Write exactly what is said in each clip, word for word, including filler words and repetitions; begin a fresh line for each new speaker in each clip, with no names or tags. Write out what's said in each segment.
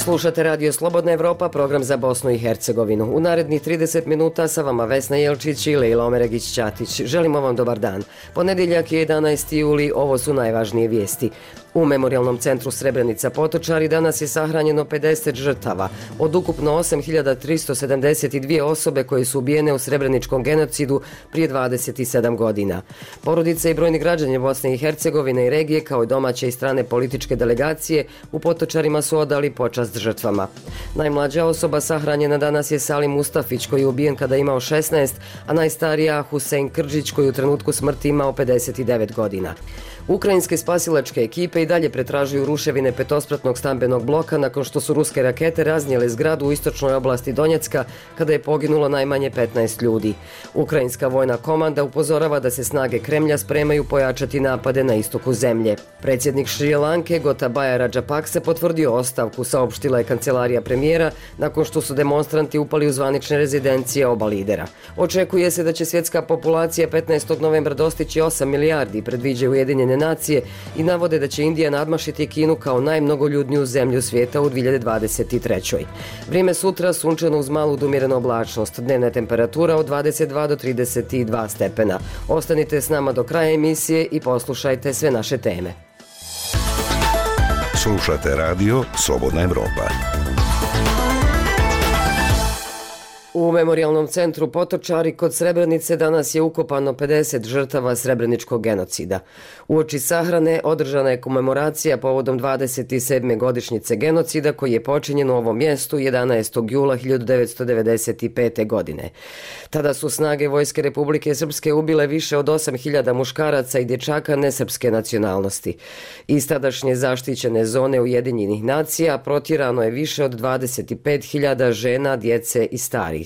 Slušate Radio Slobodna Evropa, program za Bosnu i Hercegovinu. U narednih trideset minuta sa vama Vesna Jelčić i Lejla Omeregić-Ćatić. Želimo vam dobar dan. Ponedjeljak je jedanaesti juli, ovo su najvažnije vijesti. U Memorijalnom centru Srebrenica Potočari danas je sahranjeno pedeset žrtava, od ukupno osam hiljada tristo sedamdeset dvije osobe koje su ubijene u srebreničkom genocidu prije dvadeset sedam godina. Porodice i brojni građani Bosne i Hercegovine i regije, kao i domaće i strane političke delegacije, u Potočarima su odali počast žrtvama. Najmlađa osoba sahranjena danas je Salim Mustafić, koji je ubijen kada je imao šesnaest, a najstarija Husein Krđić, koji u trenutku smrti imao pedeset devet godina. Ukrajinske spasilačke ekipe i dalje pretražuju ruševine petospratnog stambenog bloka nakon što su ruske rakete raznijele zgradu u istočnoj oblasti Donjecka kada je poginulo najmanje petnaest ljudi. Ukrajinska vojna komanda upozorava da se snage Kremlja spremaju pojačati napade na istoku zemlje. Predsjednik Šri Lanke Gotabaya Rajapakse potvrdio ostavku, saopštila je kancelarija premijera nakon što su demonstranti upali u zvanične rezidencije oba lidera. Očekuje se da će svjetska populacija petnaestog novembra dostići osam milijardi, predviđaju Ujedinjene nacije, i navode da će Indija nadmašiti Kinu kao najmnogoljudniju zemlju svijeta u dvije hiljade dvadeset trećoj. Vrijeme sutra sunčano uz malu do umjerenu oblačnost, dnevna temperatura od dvadeset dva do trideset dva stepena. Ostanite s nama do kraja emisije i poslušajte sve naše teme.
Slušate radio Slobodna Evropa.
U Memorijalnom centru Potočari kod Srebrenice danas je ukopano pedeset žrtava srebreničkog genocida. Uoči sahrane održana je komemoracija povodom dvadeset sedme godišnjice genocida koji je počinjen u ovom mjestu jedanaestog jula hiljadu devetsto devedeset pete. godine. Tada su snage Vojske Republike Srpske ubile više od osam hiljada muškaraca i dječaka nesrpske nacionalnosti. Iz tadašnje zaštićene zone Ujedinjenih nacija protjerano je više od dvadeset pet hiljada žena, djece i starih.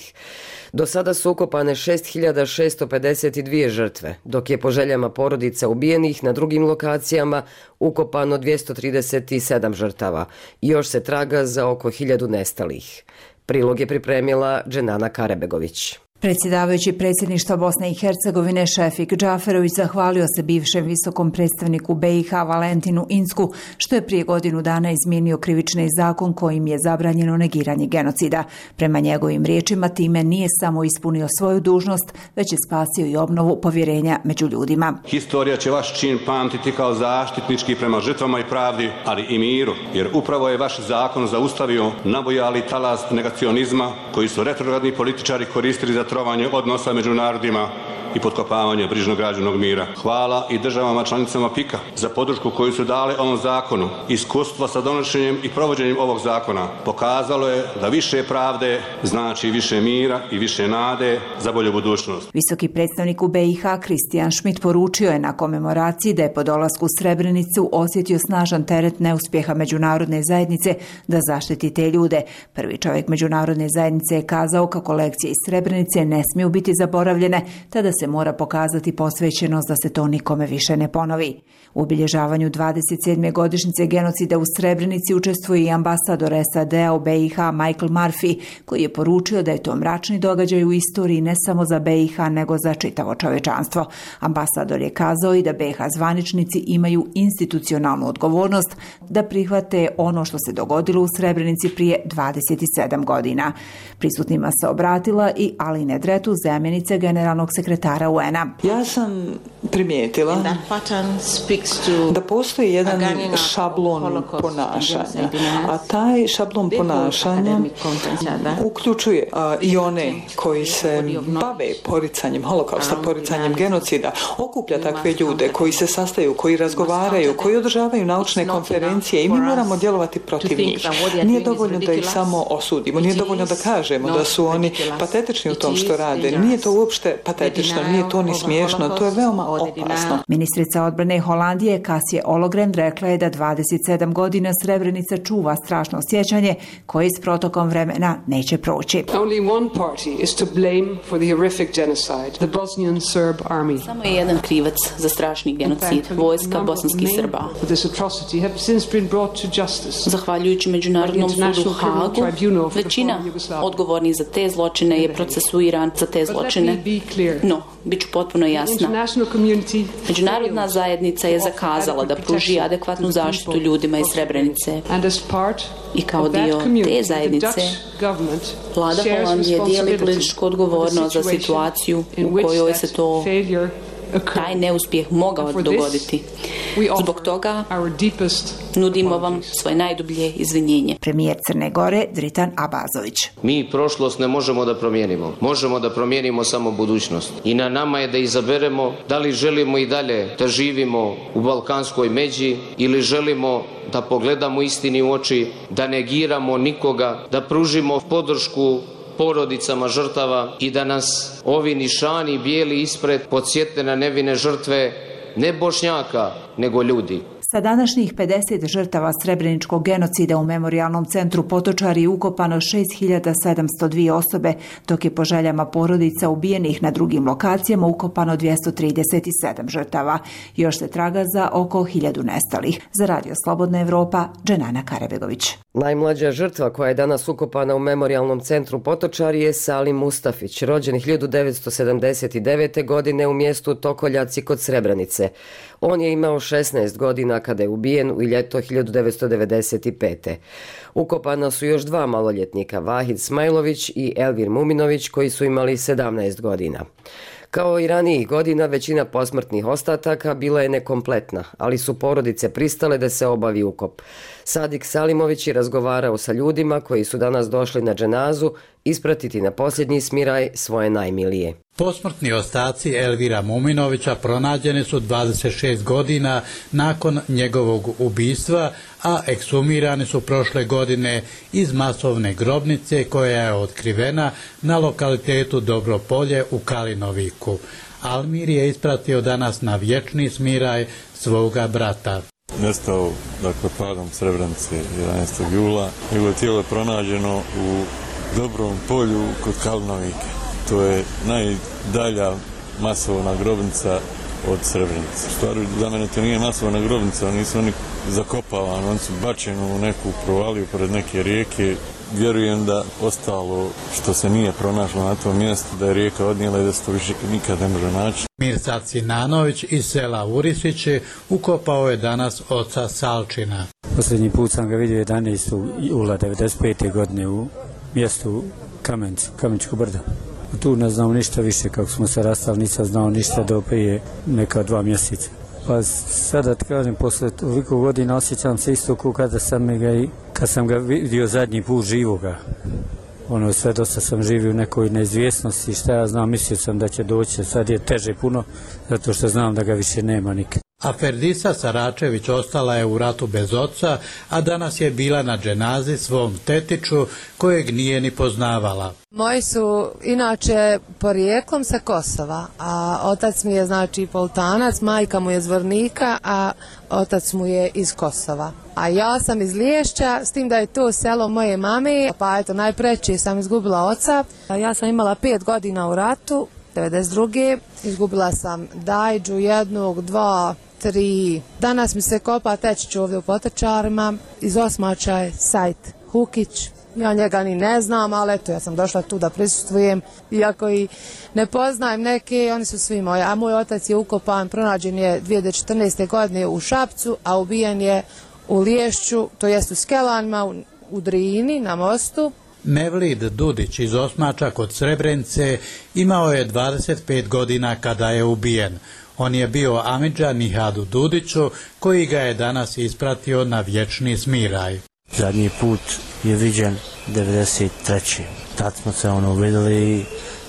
Do sada su ukopane šest hiljada šesto pedeset dvije žrtve, dok je po željama porodica ubijenih na drugim lokacijama ukopano dvjesto trideset sedam žrtava i još se traga za oko hiljadu nestalih. Prilog je pripremila Dženana Karebegović.
Predsjedavajući predsjedništva Bosne i Hercegovine Šefik Džaferović zahvalio se bivšem visokom predstavniku B i H Valentinu Incku što je prije godinu dana izmijenio krivični zakon kojim je zabranjeno negiranje genocida. Prema njegovim riječima time nije samo ispunio svoju dužnost, već je spasio i obnovu povjerenja među ljudima.
Historija će vaš čin pamtiti kao zaštitnički prema žrtvama i pravdi, ali i miru, jer upravo je vaš zakon zaustavio nabujali talas negacionizma koji su retrogradni političari koristili za trovanje odnosa među narodima i potkopavanje brižnog građanog mira. Hvala i državama članicama P I K-a za podršku koju su dale ovom zakonu. Iskustvo sa donošenjem i provođenjem ovog zakona pokazalo je da više pravde znači više mira i više nade za bolju budućnost.
Visoki predstavnik u B i H Kristijan Šmit poručio je na komemoraciji da je po dolasku u Srebrenicu osjetio snažan teret neuspjeha međunarodne zajednice da zaštiti te ljude. Prvi čovjek međunarodne zajednice je kazao kako lekcije iz Srebrenice ne smiju biti zaboravljene, tada se mora pokazati posvećenost da se to nikome više ne ponovi. U obilježavanju dvadeset sedme godišnjice genocida u Srebrenici učestvuje i ambasador S A D-a u B i H Michael Murphy, koji je poručio da je to mračni događaj u istoriji ne samo za B i H nego za čitavo čovječanstvo. Ambasador je kazao i da B i H zvaničnici imaju institucionalnu odgovornost da prihvate ono što se dogodilo u Srebrenici prije dvadeset sedam godina. Prisutnima se obratila i Aline Dretu, zamjenica generalnog sekretara U N-a.
Ja sam primijetila da postoji jedan šablon ponašanja, a taj šablon ponašanja uključuje a, i one koji se bave poricanjem holokausta, poricanjem genocida, okuplja takve ljude koji se sastaju, koji razgovaraju, koji održavaju naučne konferencije i mi moramo djelovati protiv njih. Nije dovoljno da ih samo osudimo, nije dovoljno da kažemo da su oni patetični u tom što rade. Nije to uopšte patetično, nije to ni smiješno, to je veoma opasno.
Ministrica odbrane Holandije Kasje Ologren rekla je da dvadeset sedam godina Srebrenica čuva strašno sjećanje koje s protokom vremena neće proći.
Samo je jedan krivac za strašni genocid, vojska bosanskih Srba. Zahvaljujući Međunarodnom sudu u Hagu, većina odgovornih za te zločine je procesuiran za te zločine. No, bit ću potpuno jasna. Međunarodna zajednica je zakazala da pruži adekvatnu zaštitu ljudima iz Srebrenice. I kao dio te zajednice, vlada Holandije dijeli političku odgovornost za situaciju u kojoj se to taj neuspjeh mogao dogoditi. Zbog toga nudimo vam svoje najdublje izvinjenje.
Premijer Crne Gore Dritan Abazović.
Mi prošlost ne možemo da promijenimo. Možemo da promijenimo samo budućnost. I na nama je da izaberemo da li želimo i dalje da živimo u balkanskoj međi ili želimo da pogledamo istini u oči, da negiramo nikoga, da pružimo podršku porodicama žrtava i da nas ovi nišani bijeli ispred podsjete na nevine žrtve ne Bošnjaka, nego ljudi.
Sa današnjih pedeset žrtava srebreničkog genocida u Memorijalnom centru Potočari je ukopano šest hiljada sedamsto dvije osobe, dok je po željama porodica ubijenih na drugim lokacijama ukopano dvjesto trideset sedam žrtava. Još se traga za oko hiljadu nestalih. Za Radio Slobodna Evropa, Dženana Karebegović.
Najmlađa žrtva koja je danas ukopana u Memorijalnom centru Potočari je Salim Mustafić, rođen hiljadu devetsto sedamdeset devete. godine u mjestu Tokoljaci kod Srebrenice. On je imao šesnaest godina kada je ubijen u ljeto hiljadu devetsto devedeset pete. Ukopana su još dva maloljetnika, Vahid Smajlović i Elvir Muminović, koji su imali sedamnaest godina. Kao i ranijih godina, većina posmrtnih ostataka bila je nekompletna, ali su porodice pristale da se obavi ukop. Sadik Salimović je razgovarao sa ljudima koji su danas došli na dženazu ispratiti na posljednji smiraj svoje najmilije.
Posmrtni ostaci Elvira Muminovića pronađeni su dvadeset šest godina nakon njegovog ubistva, a ekshumirani su prošle godine iz masovne grobnice koja je otkrivena na lokalitetu Dobropolje u Kalinoviku. Almir je ispratio danas na vječni smiraj svoga brata.
Nestao, dakle, padom Srebrenice jedanaestog jula. Njegovo tijelo je pronađeno u Dobrom polju kod Kalinovike. To je najdalja masovna grobnica od Srebrenice. Stvari, za mene to nije masovna grobnica, nisu oni zakopavani, oni su bačeni u neku provaliju pored neke rijeke. Vjerujem da ostalo što se nije pronašlo na tom mjestu, da je rijeka odnijela i da se to više nikad ne može naći.
Mirsad Sinanović iz sela Urisići ukopao je danas oca Salčina.
Posljednji put sam ga vidio jedanaestog jula devedeset pete. godine u mjestu Kamencu, Kameničko brdo. Tu ne znam ništa više, kako smo se rastali, nisam znao ništa do prije neka dva mjeseca. Pa sada ti kažem, posle toliko godina osjećam se isto kao kada sam ga, kad sam ga vidio zadnji put živoga. Ono, sve dosta sam živio u nekoj neizvjesnosti, šta ja znam, mislio sam da će doći, sad je teže puno, zato što znam da ga više nema nikad.
A Ferdisa Saračević ostala je u ratu bez oca, a danas je bila na dženazi svom tetiću kojeg nije ni poznavala.
Moji su inače porijeklom sa Kosova, a otac mi je znači Poltanac, majka mu je iz Zvornika, a otac mu je iz Kosova. A ja sam iz Liješća, s tim da je to selo moje mame, pa eto najpreće sam izgubila oca. Ja sam imala pet godina u ratu, devedeset druge. Izgubila sam dajđu jednog, dva, tri. Danas mi se kopa tečić ovdje u Potočarima, iz Osmača je Sajt Hukić. Ja njega ni ne znam, ali eto, ja sam došla tu da prisustvujem. Iako i ne poznajem neke, oni su svi moji. A moj otac je ukopan, pronađen je dvije hiljade četrnaeste. godine u Šapcu, a ubijen je u Liješću, to jest u Skelanima, u, u Drini, na mostu.
Mevlid Dudić iz Osmača kod Srebrenice imao je dvadeset pet godina kada je ubijen. On je bio amidža Nihadu Dudiću, koji ga je danas ispratio na vječni smiraj.
Zadnji put je viđen devedeset treće. Tad smo se ono vidjeli i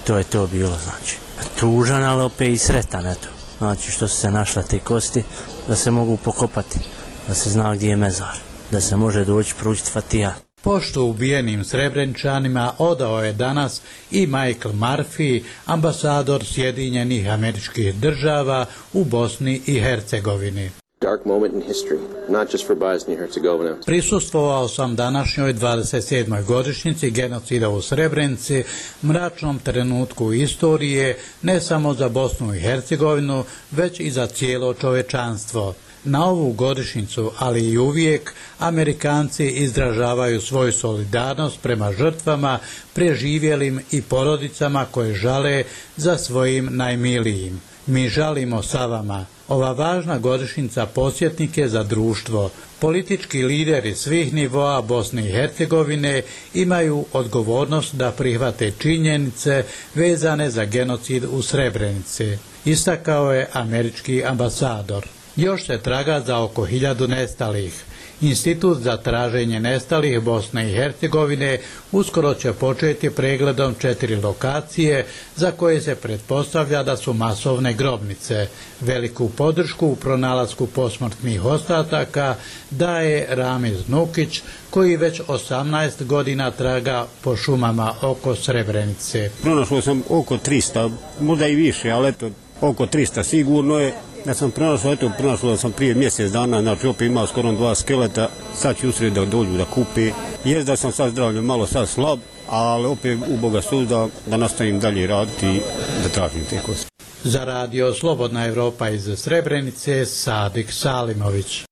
to je to bilo, znači. Tužan, ali opet i sretan, eto. Znači što su se našle te kosti, da se mogu pokopati, da se zna gdje je mezar, da se može doći pručiti fatija.
Poštu ubijenim Srebreničanima odao je danas i Michael Murphy, ambasador Sjedinjenih Američkih Država u Bosni i Hercegovini.
Dark moment in history, not just for Bosnia and Herzegovina.
Prisustvovao sam današnjoj dvadeset sedmoj godišnjici genocida u Srebrenici, mračnom trenutku istorije, ne samo za Bosnu i Hercegovinu, već i za cijelo čovečanstvo. Na ovu godišnjicu, ali i uvijek, Amerikanci izražavaju svoju solidarnost prema žrtvama, preživjelim i porodicama koje žale za svojim najmilijim. Mi žalimo sa vama. Ova važna godišnjica podsjetnik je za društvo. Politički lideri svih nivoa Bosne i Hercegovine imaju odgovornost da prihvate činjenice vezane za genocid u Srebrenici, istakao je američki ambasador. Još se traga za oko hiljadu nestalih. Institut za traženje nestalih Bosne i Hercegovine uskoro će početi pregledom četiri lokacije za koje se pretpostavlja da su masovne grobnice. Veliku podršku u pronalasku posmrtnih ostataka daje Ramiz Nukić, koji već osamnaest godina traga po šumama oko Srebrenice.
Pronašao sam oko trista, možda i više, ali eto, oko trista sigurno je. Ja sam pronašao, eto, pronašao sam prije mjesec dana, znači opet imao skoro dva skeleta, sad ću usred da dođu da kupi. Jest da sam sad zdravljen malo sad slab, ali opet u Boga suzda da nastavim dalje raditi i da tražim te kosti.
Za radio Slobodna Evropa iz Srebrenice, Sadik Salimović.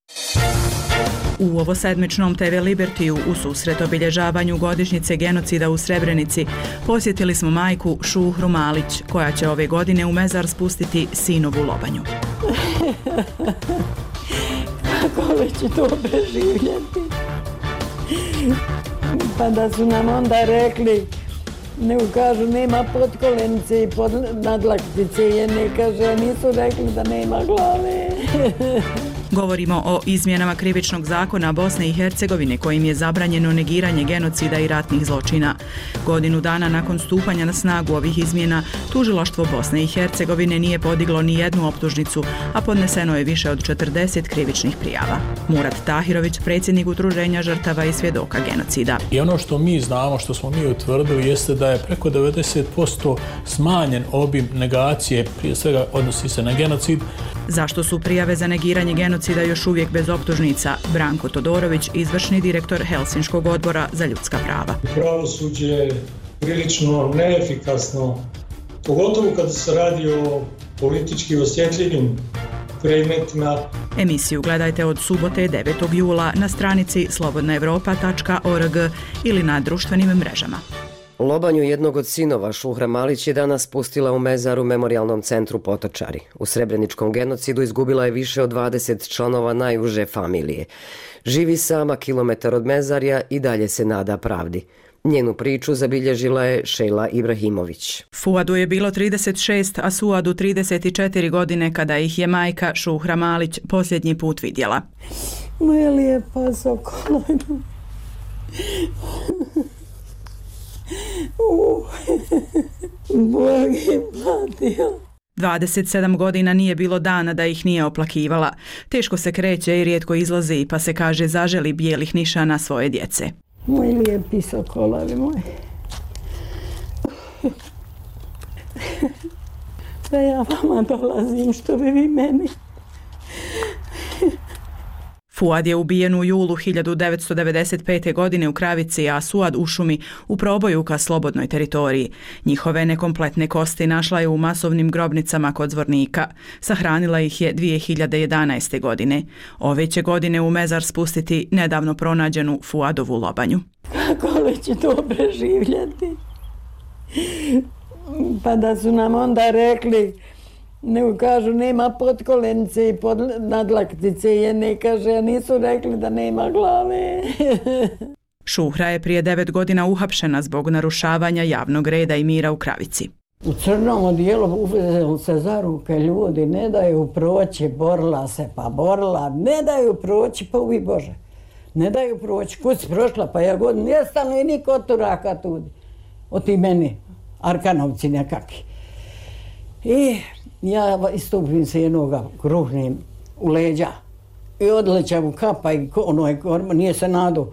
U ovosedmičnom te ve Libertiju u susret obilježavanju godišnjice genocida u Srebrenici posjetili smo majku Šuhru Malić, koja će ove godine u mezar spustiti sinovu lobanju.
Kako li će to preživljati? Pa da su nam onda rekli, ne kažu nema potkolenice i pod nadlaktice, jer ne kaže, nisu rekli da nema glave.
Govorimo o izmjenama krivičnog zakona Bosne i Hercegovine kojim je zabranjeno negiranje genocida i ratnih zločina. Godinu dana nakon stupanja na snagu ovih izmjena, tužilaštvo Bosne i Hercegovine nije podiglo ni jednu optužnicu, a podneseno je više od četrdeset krivičnih prijava. Murat Tahirović, predsjednik Udruženja žrtava i svjedoka genocida.
I ono što mi znamo, što smo mi utvrdili, jeste da je preko devedeset posto smanjen obim negacije, prije svega odnosi se na genocid.
Zašto su prijave za negiranje genocida još uvijek bez optužnica? Branko Todorović, izvršni direktor Helsinškog odbora za ljudska prava.
Pravosuđe je prilično neefikasno, pogotovo kada se radi o politički osjetljivim predmetima.
Emisiju gledajte od subote devetog jula na stranici slobodna evropa tačka org ili na društvenim mrežama.
Lobanju jednog od sinova Šuhra Malić je danas pustila u mezar u Memorijalnom centru Potočari. U srebreničkom genocidu izgubila je više od dvadeset članova najuže familije. Živi sama kilometar od mezarja i dalje se nada pravdi. Njenu priču zabilježila je Šejla Ibrahimović.
Fuadu je bilo trideset šest, a Suadu trideset četiri godine kada ih je majka Šuhra Malić posljednji put vidjela.
Moja lijepa sokolina. Bog je platio.
dvadeset sedam godina nije bilo dana da ih nije oplakivala. Teško se kreće i rijetko izlazi, pa se kaže zaželi bijelih nišana svoje djece.
Moj lijepi sokolavi moj. Da ja vama dolazim što bi vi meni.
Fuad je ubijen u julu hiljadu devetsto devedeset pete. godine u Kravici, a Suad u šumi u proboju ka slobodnoj teritoriji. Njihove nekompletne kosti našla je u masovnim grobnicama kod Zvornika. Sahranila ih je dvije hiljade jedanaeste. godine. Ove će godine u mezar spustiti nedavno pronađenu Fuadovu lobanju.
Kako li će to preživljati? Pa da su nam onda rekli, nego kažu nema potkolenice i pod nadlaktice, jer ne kaže, nisu rekli da nema glave.
Šuhra je prije devet godina uhapšena zbog narušavanja javnog reda i mira u Kravici.
U crnom odijelu uzeli se za ruke ljudi, ne daju proći, borila se pa borila, ne daju proći, pa uvi Bože, ne daju proći, kud si prošla, pa ja god nestanu i niko od turaka tudi, od ti meni, Arkanovci nekakvi. I ja istupim se jednoga, kruhnem u leđa i odlećam u kapa i onoj korma, nije se nadu.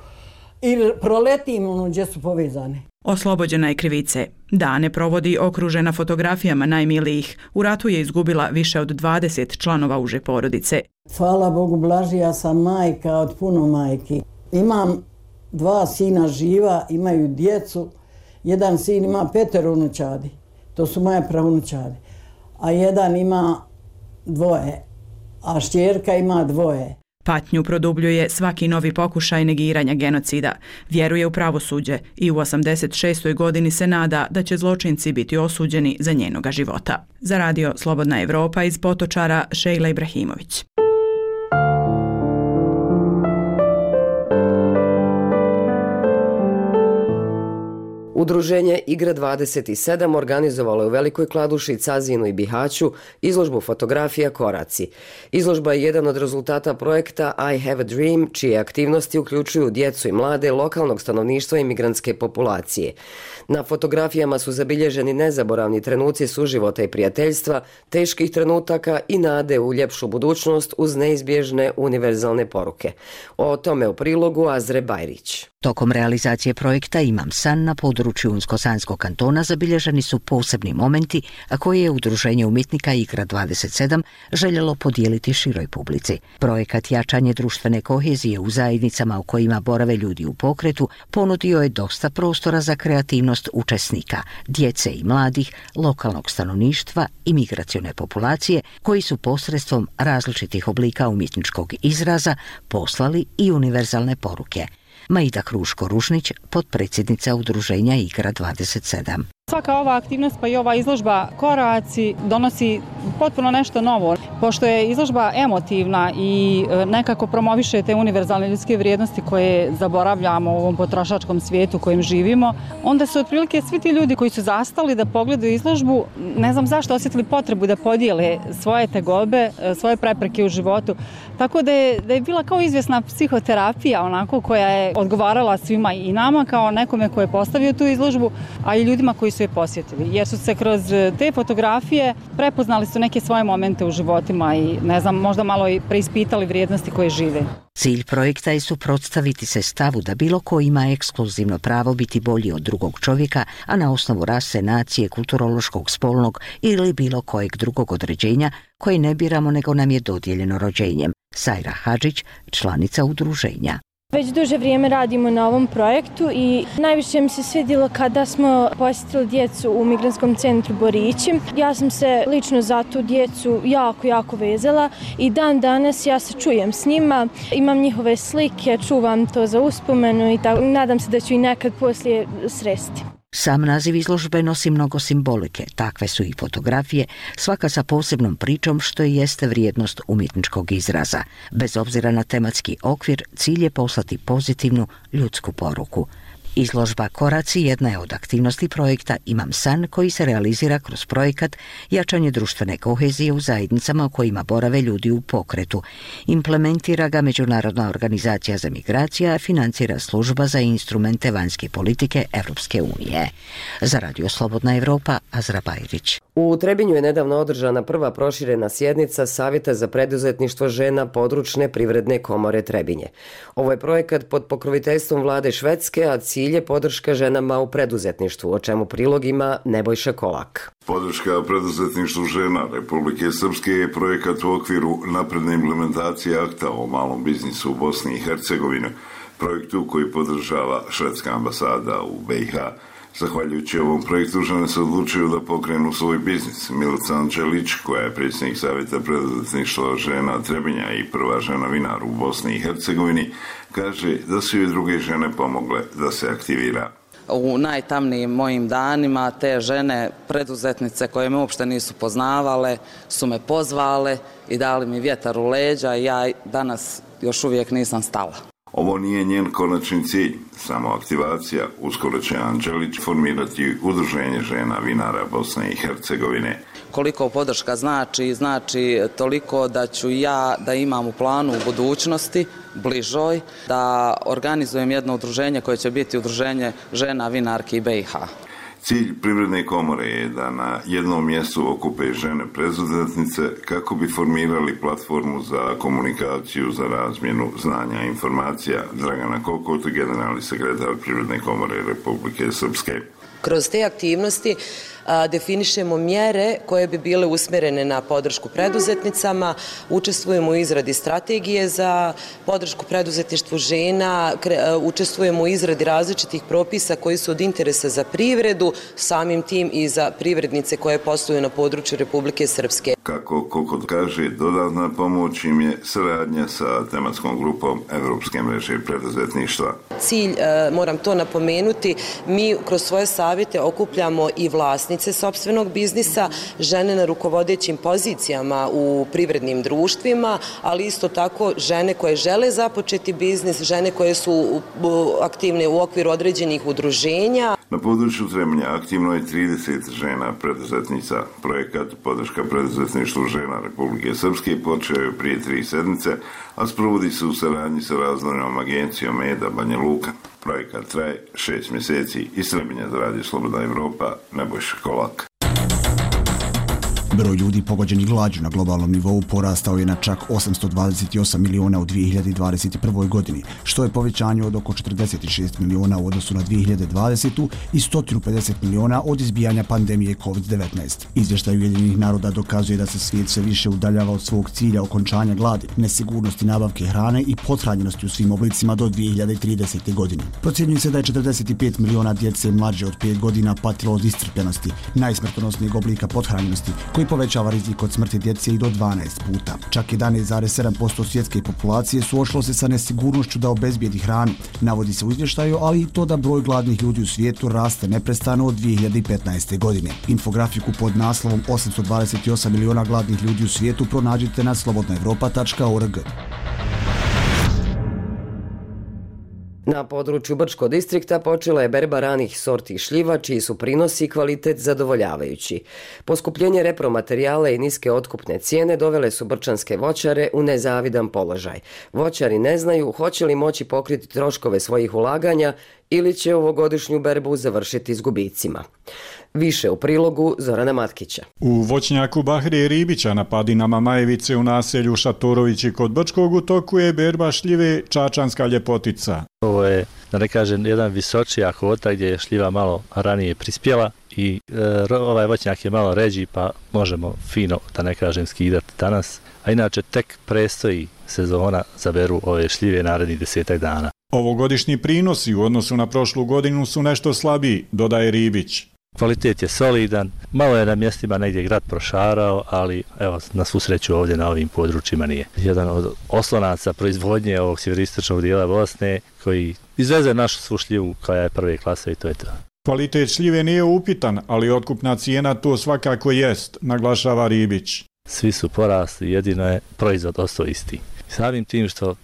I proletim ono gdje su povezane.
Oslobođena je krivice. Dane provodi okružena fotografijama najmilijih. U ratu je izgubila više od dvadeset članova uže porodice.
Hvala Bogu, blažija sam majka od puno majki. Imam dva sina živa, imaju djecu. Jedan sin ima petero unučadi. To su moje pravunučadi. A jedan ima dvoje a šćerka ima dvoje.
Patnju produbljuje svaki novi pokušaj negiranja genocida. Vjeruje u pravosuđe i u osamdeset šestoj godini se nada da će zločinci biti osuđeni za njenoga života. Za radio Slobodna Evropa iz Potočara, Šejla Ibrahimović.
Udruženje Igra dvadeset sedam organizovalo je u Velikoj Kladuši, Cazinu i Bihaću izložbu fotografija Koraci. Izložba je jedan od rezultata projekta I Have a Dream, čije aktivnosti uključuju djecu i mlade, lokalnog stanovništva i migrantske populacije. Na fotografijama su zabilježeni nezaboravni trenuci suživota i prijateljstva, teških trenutaka i nade u ljepšu budućnost uz neizbježne univerzalne poruke. O tome u prilogu Azre Bajrić.
Tokom realizacije projekta Imam san na području Unsko-Sanskog kantona zabilježeni su posebni momenti, a koje je Udruženje umjetnika Igra dvadeset sedam željelo podijeliti široj publici. Projekat jačanje društvene kohezije u zajednicama u kojima borave ljudi u pokretu ponudio je dosta prostora za kreativnost učesnika, djece i mladih, lokalnog stanovništva i migracione populacije, koji su posredstvom različitih oblika umjetničkog izraza poslali i univerzalne poruke. Maida Kruško-Ružnić, potpredsjednica Udruženja Igra dvadeset sedam.
Svaka ova aktivnost pa i ova izložba Koraci donosi potpuno nešto novo. Pošto je izložba emotivna i nekako promoviše te univerzalne ljudske vrijednosti koje zaboravljamo u ovom potrošačkom svijetu u kojem živimo, onda su otprilike svi ti ljudi koji su zastali da pogledaju izložbu, ne znam zašto, osjetili potrebu da podijele svoje tegobe, svoje prepreke u životu. Tako da je, da je bila kao izvjesna psihoterapija onako koja je odgovarala svima i nama kao nekome ko je postavio tu izložbu, a i ljudima koji su je posjetili. Jer su se kroz te fotografije prepoznali su neke svoje momente u životima i ne znam, možda malo i preispitali vrijednosti koje žive.
Cilj projekta je suprotstaviti se stavu da bilo ko ima ekskluzivno pravo biti bolji od drugog čovjeka, a na osnovu rase, nacije, kulturološkog, spolnog ili bilo kojeg drugog određenja koje ne biramo nego nam je dodijeljeno rođenjem. Sajra Hadžić, članica udruženja.
Već duže vrijeme radimo na ovom projektu i najviše mi se svidjelo kada smo posjetili djecu u Migrantskom centru Borići. Ja sam se lično za tu djecu jako, jako vezala i dan danas ja se čujem s njima, imam njihove slike, čuvam to za uspomenu i tako, nadam se da ću i nekad poslije sresti.
Sam naziv izložbe nosi mnogo simbolike, takve su i fotografije, svaka sa posebnom pričom što i jeste vrijednost umjetničkog izraza. Bez obzira na tematski okvir, cilj je poslati pozitivnu ljudsku poruku. Izložba Koraci jedna je od aktivnosti projekta Imam san koji se realizira kroz projekat jačanje društvene kohezije u zajednicama u kojima borave ljudi u pokretu. Implementira ga Međunarodna organizacija za migracije, a financira služba za instrumente vanjske politike Evropske unije. Za radio Slobodna Evropa, Azra Bajrić.
U Trebinju je nedavno održana prva proširena sjednica Savjeta za preduzetništvo žena područne privredne komore Trebinje. Ovo je projekat pod pokroviteljstvom vlade Švedske, a cilj je podrška ženama u preduzetništvu, o čemu prilog ima Nebojša Kolak.
Podrška preduzetništvu žena Republike Srpske je projekat u okviru napredne implementacije akta o malom biznisu u Bosni i Hercegovini, projektu koji podržava švedska ambasada u B i H. Zahvaljujući ovom projektu žene se odlučuju da pokrenu svoj biznis. Milica Anđelić, koja je predsjednik Savjeta preduzetništva žena Trebinja i prva žena vinar u Bosni i Hercegovini, kaže da su joj druge žene pomogle da se aktivira.
U najtamnijim mojim danima te žene preduzetnice koje me uopšte nisu poznavale su me pozvale i dali mi vjetar u leđa i ja danas još uvijek nisam stala.
Ovo nije njen konačni cilj, samo aktivacija. Uskoro će Anđelić formirati udruženje žena vinara Bosne i Hercegovine.
Koliko podrška znači, znači toliko da ću ja da imam u planu u budućnosti, bližoj, da organizujem jedno udruženje koje će biti udruženje žena vinarki B i H.
Cilj Privredne komore je da na jednom mjestu okupe žene preduzetnice kako bi formirali platformu za komunikaciju, za razmjenu znanja i informacija. Dragana Kokot, generalni sekretar Privredne komore Republike Srpske.
Kroz te aktivnosti
definišemo mjere koje bi bile usmjerene na podršku preduzetnicama, učestvujemo u izradi strategije za podršku preduzetništvu žena, učestvujemo u izradi različitih propisa koji su od interesa za privredu, samim tim i za privrednice koje posluju na području Republike Srpske.
Kako Kokot kaže, dodatna pomoć im je saradnja sa tematskom grupom Evropske mreže preduzetništva.
Cilj, moram to napomenuti, mi kroz svoje savjete okupljamo i vlasnice sopstvenog biznisa, žene na rukovodećim pozicijama u privrednim društvima, ali isto tako žene koje žele započeti biznis, žene koje su aktivne u okviru određenih udruženja.
Na području Trebinja aktivno je trideset žena preduzetnica. Projekat podrška preduzetništvu žena Republike Srpske počeo je prije tri sedmice, a sprovodi se u saradnji sa razvojnom agencijom E D A Banja Luka. Projekat traje šest mjeseci. Iz Trebinja za Radio Slobodna Evropa, Nebojša Kolak.
Broj ljudi pogođenih glađu na globalnom nivou porastao je na čak osamsto dvadeset osam miliona u dvije hiljade dvadeset prve. godini, što je povećanje od oko četrdeset šest miliona u odnosu na dvije hiljade dvadesete. i sto pedeset miliona od izbijanja pandemije kovid devetnaest. Izvještaj Ujedinjenih naroda dokazuje da se svijet sve više udaljava od svog cilja okončanja gladi, nesigurnosti nabavke hrane i pothranjenosti u svim oblicima do dvije hiljade tridesete. godine. Procjenjuje se da je četrdeset pet miliona djece mlađe od pet godina patilo od iscrpljenosti, najsmrtonosnijeg oblika pothranjenosti, koji povećava rizik od smrti djece i do dvanaest puta. Čak jedanaest zarez sedam posto svjetske populacije suočilo se sa nesigurnošću da obezbijedi hranu, navodi se u izvještaju, ali i to da broj gladnih ljudi u svijetu raste neprestano od dvije hiljade petnaeste. godine. Infografiku pod naslovom osamsto dvadeset osam miliona gladnih ljudi u svijetu pronađite na slobodna evropa tačka org.
Na području Brčkog distrikta počela je berba ranih sorti šljiva, čiji su prinosi i kvalitet zadovoljavajući. Poskupljenje repromaterijala i niske otkupne cijene dovele su brčanske voćare u nezavidan položaj. Voćari ne znaju hoće li moći pokriti troškove svojih ulaganja ili će ovogodišnju berbu završiti s gubicima. Više u prilogu Zorana Matkića.
U voćnjaku Bahrije Ribića na padinama Majevice u naselju Šatorovići kod Brčkog u toku je berba šljive Čačanska ljepotica.
Ovo je, da ne kažem, jedan visočija kvota gdje je šljiva malo ranije prispjela i e, ovaj voćnjak je malo ređi pa možemo fino, da ne kažem, skidati danas. A inače tek prestoji sezona za beru ove šljive narednih desetak dana.
Ovogodišnji prinosi u odnosu na prošlu godinu su nešto slabiji, dodaje Ribić.
Kvalitet je solidan, malo je na mjestima negdje grad prošarao, ali evo, na svu sreću ovdje na ovim područjima nije. Jedan od oslonaca proizvodnje ovog sjeveristočnog dijela Bosne koji izveze našu svu šljivu koja je prve klase i to je to.
Kvalitet šljive nije upitan, ali otkupna cijena to svakako jest, naglašava Ribić.
Svi su porasli, jedino je proizvod ostao isti. Samim tim što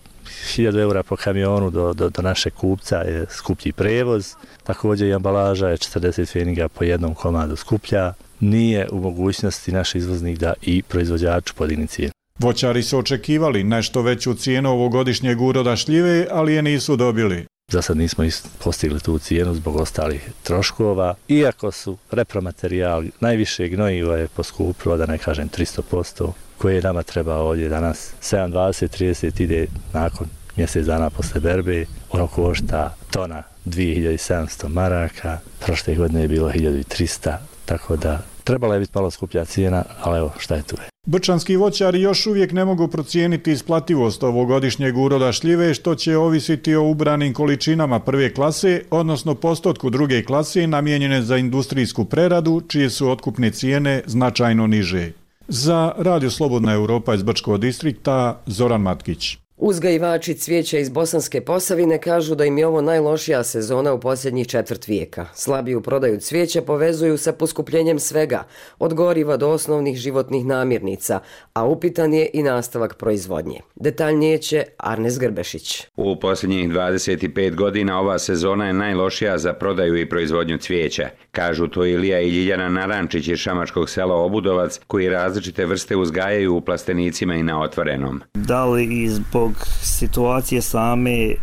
hiljadu eura po kamionu do, do, do našeg kupca je skuplji prevoz, također i ambalaža je četrdeset pfeniga po jednom komadu skuplja, nije u mogućnosti naš izvoznik da i proizvođaču podigne cijenu.
Voćari su očekivali nešto veću cijenu ovogodišnjeg uroda šljive, ali je nisu dobili.
Za sad nismo postigli tu cijenu zbog ostalih troškova, iako su repromaterijal, najviše gnojivo je poskupilo, da ne kažem tristo posto, koje nama treba ovdje danas. sedam, dvadeset, trideset ide nakon mjesec dana posle berbe, ono košta tona dvije hiljade sedamsto maraka, prošle godine je bilo hiljadu trista, tako da trebala je biti malo skuplja cijena, ali evo šta je tu je.
Brčanski voćari još uvijek ne mogu procijeniti isplativost ovogodišnjeg uroda šljive, što će ovisiti o ubranim količinama prve klase, odnosno postotku druge klase namijenjene za industrijsku preradu, čije su otkupne cijene značajno niže. Za Radio Slobodna Evropa iz Brčkog distrikta, Zoran Matkić.
Uzgajivači cvijeća iz Bosanske Posavine kažu da im je ovo najlošija sezona u posljednjih četvrt vijeka. Slabiju prodaju cvijeća povezuju sa poskupljenjem svega, od goriva do osnovnih životnih namirnica, a upitan je i nastavak proizvodnje. Detaljnije će Arnes Grbešić.
U posljednjih dvadeset pet godina ova sezona je najlošija za prodaju i proizvodnju cvijeća. Kažu to Ilija i Ljiljana Narančić iz šamačkog sela Obudovac, koji različite vrste uzgajaju u plastenicima i na otvorenom.
Da li i zbog situacije same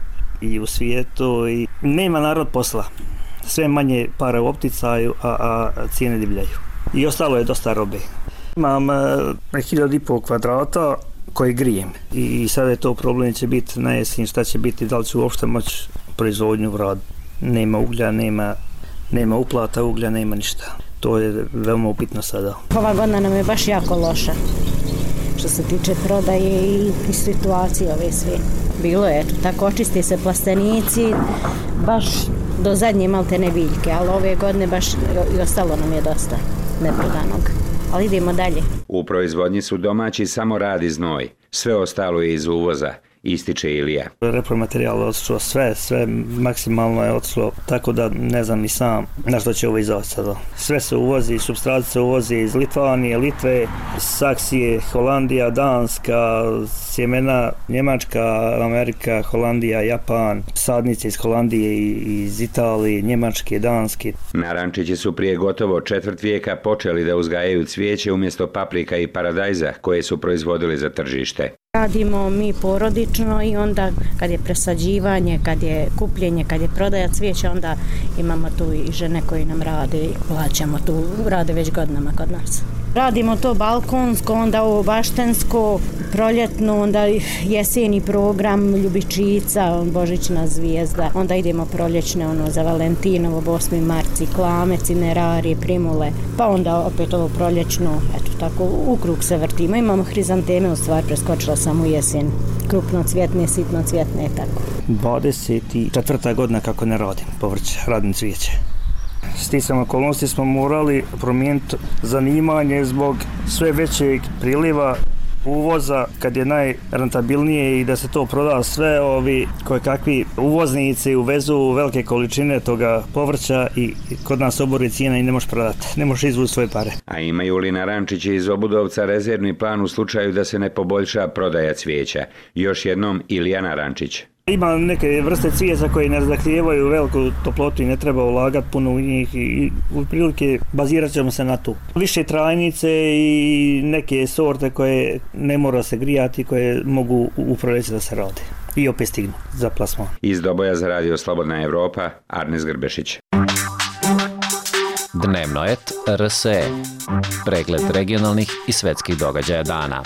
i u svijetu i nema narod posla. Sve manje para u opticaju, a, a cijene divljaju. I ostalo je dosta robe. Imam e, hiljadu i pol kvadrata koji grijem i sada je to problem, će biti na jesen, šta će biti, da li ću uopšte moći proizvodnju u radu. Nema uglja, nema, nema uplata uglja, nema ništa. To je veoma upitno sada.
Ova godina nam je baš jako loša što se tiče prodaje i, i situacije ove sve. Bilo je, eto, tako očisti se plastenici, baš do zadnje maltene biljke, ali ove godine baš i ostalo nam je dosta neprodanog. Ali idemo dalje.
U proizvodnji su domaći samo rad i znoj, sve ostalo je iz uvoza, ističe Ilija.
Repromaterijal je otišlo sve, sve maksimalno je otišlo, tako da ne znam i sam na što će ovo izovati sada. Sve se uvozi, supstrat se uvozi iz Litvanije, Litve, Saksije, Holandija, Danska, sjemena Njemačka, Amerika, Holandija, Japan, sadnice iz Holandije i iz Italije, Njemačke, Danske.
Narančići su prije gotovo četvrt vijeka počeli da uzgajaju cvijeće umjesto paprika i paradajza koje su proizvodili za tržište.
Radimo mi porodično i onda kad je presađivanje, kad je kupljenje, kad je prodaja cvijeća, onda imamo tu i žene koji nam rade i plaćamo tu, rade već godinama kod nas. Radimo to balkonsko, onda ovo baštensko, proljetno, onda jeseni program, ljubičica, Božićna zvijezda, onda idemo proljećne ono za Valentinovo, osmi mart, ciklame, cinerari, primule, pa onda opet ovo proljećno, eto tako, u krug se vrtimo. Imamo hrizanteme, u stvari preskočila sam u jesen, krupno cvjetne, sitno cvjetne, tako.
dvadeset četvrta godina kako ne radim povrće, radim cvijeće. Sticam okolnosti smo morali promijeniti zanimanje zbog sve većeg priliva uvoza kad je najrentabilnije i da se to proda sve, ovi koje kakvi uvoznici uvezu velike količine toga povrća i kod nas obori cijena i ne možeš prodati, ne možeš izvući svoje pare.
A imaju li Narančići iz Obudovca rezervni plan u slučaju da se ne poboljša prodaja cvijeća? Još jednom Ilija Narančić.
Ima neke vrste cvijeća koje ne zahtijevaju veliku toplotu i ne treba ulagati puno u njih i u prilike bazirat ćemo se na tu. Više trajnice i neke sorte koje ne mora se grijati, koje mogu u proljeće da se rade i opet stignu za plasman.
Iz Doboja za radio Slobodna Evropa, Arnes Grbešić.
Dnevno et R S E. Pregled regionalnih i svetskih događaja dana.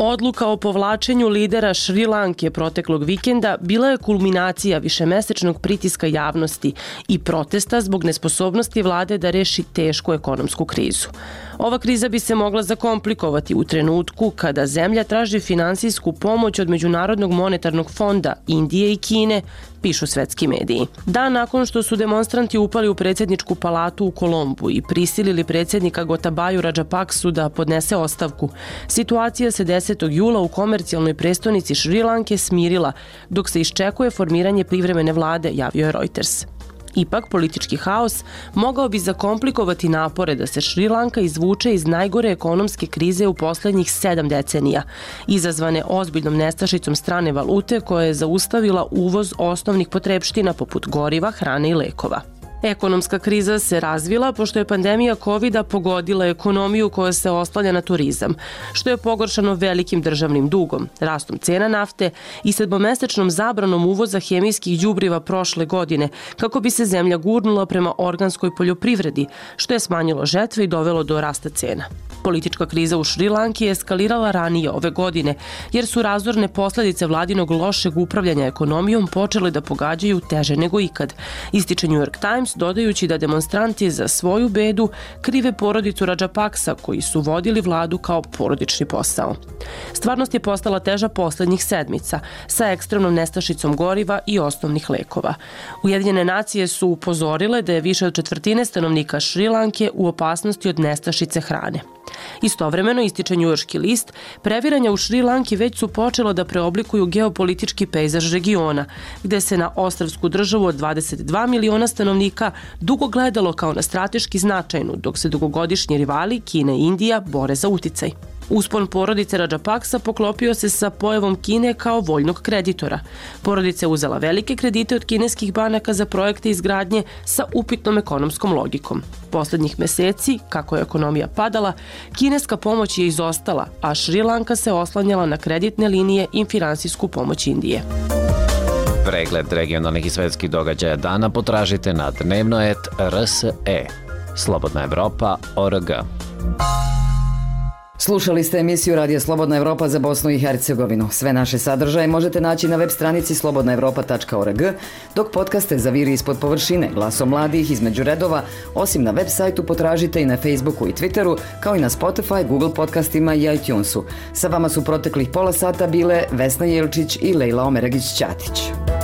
Odluka o povlačenju lidera Šri Lanke proteklog vikenda bila je kulminacija višemesečnog pritiska javnosti i protesta zbog nesposobnosti vlade da reši tešku ekonomsku krizu. Ova kriza bi se mogla zakomplikovati u trenutku kada zemlja traži finansijsku pomoć od Međunarodnog monetarnog fonda, Indije i Kine, pišu svetski mediji. Dan nakon što su demonstranti upali u predsjedničku palatu u Kolombu i prisilili predsjednika Gotabaju Rajapaksu da podnese ostavku, situacija se desetog jula u komercijalnoj prestonici Šri Lanke smirila dok se iščekuje formiranje privremene vlade, javio je Reuters. Ipak, politički haos mogao bi zakomplikovati napore da se Šri Lanka izvuče iz najgore ekonomske krize u posljednjih sedam decenija, izazvane ozbiljnom nestašicom strane valute koja je zaustavila uvoz osnovnih potrepština poput goriva, hrane i lekova. Ekonomska kriza se razvila pošto je pandemija kovida pogodila ekonomiju koja se oslanja na turizam, što je pogoršano velikim državnim dugom, rastom cena nafte i sedmomesečnom zabranom uvoza hemijskih đubriva prošle godine, kako bi se zemlja gurnula prema organskoj poljoprivredi, što je smanjilo žetve i dovelo do rasta cena. Politička kriza u Šri Lanki je eskalirala ranije ove godine, jer su razorne posljedice vladinog lošeg upravljanja ekonomijom počele da pogađaju teže nego ikad, ističe New York Times, dodajući da demonstranti za svoju bedu krive porodicu Rajapaksa koji su vodili vladu kao porodični posao. Stvarnost je postala teža posljednjih sedmica sa ekstremnom nestašicom goriva i osnovnih lekova. Ujedinjene nacije su upozorile da je više od četvrtine stanovnika Šri Lanke u opasnosti od nestašice hrane. Istovremeno, ističe njujorški list, previranja u Šri Lanki već su počela da preoblikuju geopolitički pejzaž regiona, gde se na ostrvsku državu od dvadeset dva miliona stanovnika dugo gledalo kao na strateški značajnu, dok se dugogodišnji rivali Kina i Indija bore za uticaj. Uspon porodice Rajapaksa poklopio se sa pojavom Kine kao voljnog kreditora. Porodica je uzela velike kredite od kineskih banaka za projekte izgradnje sa upitnom ekonomskom logikom. Poslednjih meseci, kako je ekonomija padala, kineska pomoć je izostala, a Šri Lanka se oslanjala na kreditne linije i finansijsku pomoć Indije.
Pregled regionalnih i svetskih događaja dana potražite na dnevno et R S E. Slobodna Evropa, O R G.
Slušali ste emisiju Radija Slobodna Evropa za Bosnu i Hercegovinu. Sve naše sadržaje možete naći na web stranici slobodna evropa tačka org, dok podcaste za Viri ispod površine, Glasom mladih, Između redova, osim na web sajtu potražite i na Facebooku i Twitteru, kao i na Spotify, Google podcastima i iTunesu. Sa vama su proteklih pola sata bile Vesna Jelčić i Lejla Omeragić-Ćatić.